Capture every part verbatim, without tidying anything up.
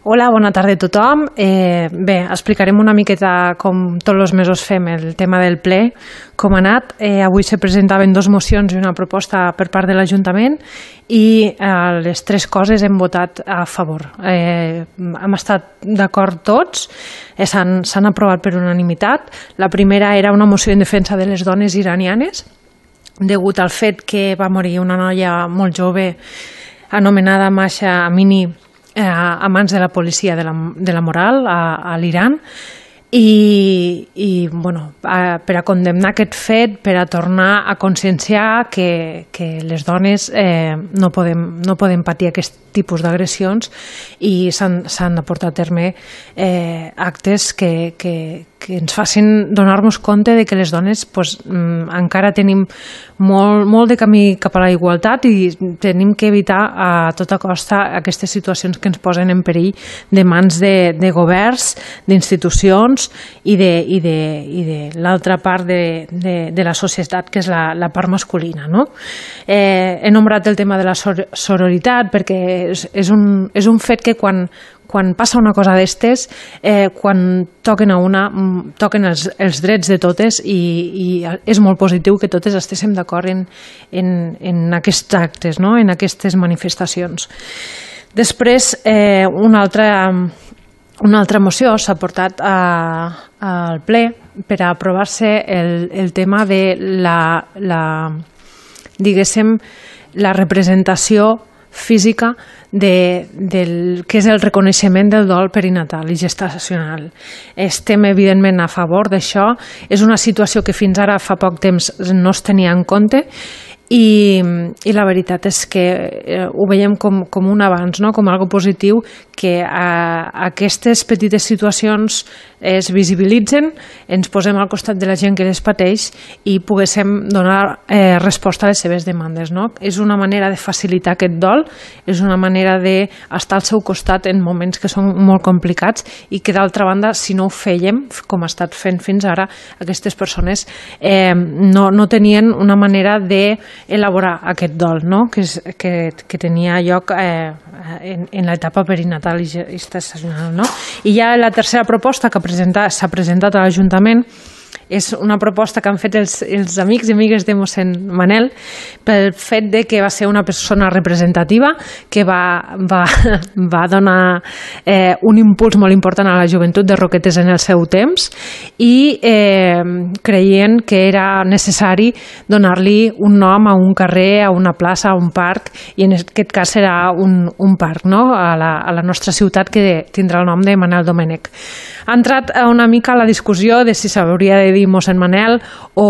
Hola, bona tarda a tothom. Eh, bé, explicarem una miqueta com tots els mesos fem el tema del ple, com ha anat. Eh, avui se presentaven dues mocions i una proposta per part de l'Ajuntament i eh, les tres coses hem votat a favor. Eh, hem estat d'acord tots, eh, s'han aprovat per unanimitat. La primera era una moció en defensa de les dones iranianes, degut al fet que va morir una noia molt jove anomenada Mahsa Amini a mans de la policia de la, de la moral a, a l'Iran i, i bueno, a, per a condemnar aquest fet, per a tornar a conscienciar que, que les dones eh, no, podem, no podem patir aquest tipus d'agressions i s'han de portar a terme eh, actes que, que, que ens facin donar-nos compte de que les dones pues, encara tenim molt, molt de camí cap a la igualtat i tenim que evitar a tota costa aquestes situacions que ens posen en perill de mans de, de governs, d'institucions i de, i de, i de l'altra part de, de, de la societat, que és la, la part masculina. No? Eh, he nombrat el tema de la sororitat perquè és, és, un, és un fet que quan, quan passa una cosa d'estes, eh, quan toquen a una, toquen els, els drets de totes i, i és molt positiu que totes estiguem d'acord en, en, en aquests actes, no? En aquestes manifestacions. Després, eh, una altra... Una altra moció s'ha portat a, al ple per a aprovar-se el, el tema de la, la, diguéssim, la representació física de, del que és el reconeixement del dol perinatal i gestacional. Estem evidentment a favor d'això. És una situació que fins ara fa poc temps no es tenia en compte i, i la veritat és que eh, ho veiem com, com un avanç, no? Com algo positiu, que a, a aquestes petites situacions es visibilitzen, ens posem al costat de la gent que les pateix i poguéssim donar eh, resposta a les seves demandes. No? És una manera de facilitar aquest dol, és una manera d'estar al seu costat en moments que són molt complicats i que d'altra banda, si no ho fèiem, com ha estat fent fins ara, aquestes persones eh, no, no tenien una manera de elaborar aquest dol, no? que, és, que, que tenia lloc eh, en, en l'etapa perinatal i gestacional. No? I ja la tercera proposta que s'ha presentat a l'Ajuntament és una proposta que han fet els, els amics i amigues de mossèn Manel pel fet de que va ser una persona representativa que va, va, va donar eh, un impuls molt important a la joventut de Roquetes en el seu temps i eh, creient que era necessari donar-li un nom a un carrer, a una plaça, a un parc, i en aquest cas serà un, un parc, no? a, la, a la nostra ciutat, que tindrà el nom de Manel Domènech. Ha entrat una mica la discussió de si s'hauria de dir mossèn Manel o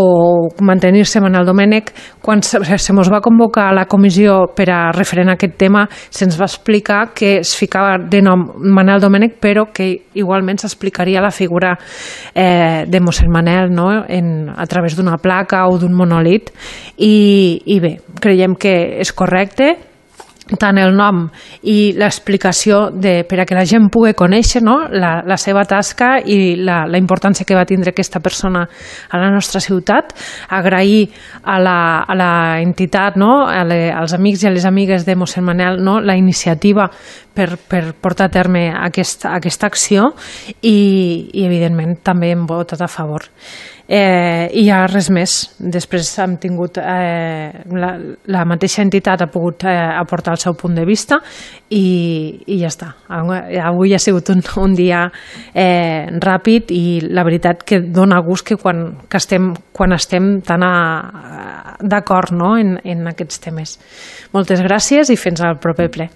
mantenir-se Manel Domènech. Quan se mos va convocar a la comissió per a referent aquest tema, se'ns va explicar que es ficava de nom Manel Domènech, però que igualment s'explicaria la figura eh, de mossèn Manel, no? en, a través d'una placa o d'un monòlit. I, I bé, creiem que és correcte tant el nom i l'explicació per a que la gent pugui conèixer, no? la, la seva tasca i la, la importància que va tindre aquesta persona a la nostra ciutat. Agrair a la, a la entitat, no? a le, als amics i a les amigues de mossèn Manel, no? la iniciativa per, per portar a terme aquest, aquesta acció i, i evidentment també hem votat a favor. Eh, i ja res més. Després hem tingut eh, la, la mateixa entitat ha pogut eh, aportar el seu punt de vista i, i ja està. Avui ha sigut un, un dia eh, ràpid i la veritat que dona gust que quan, que estem, quan estem tan d'acord, no? en, en aquests temes. Moltes gràcies i fins al proper ple.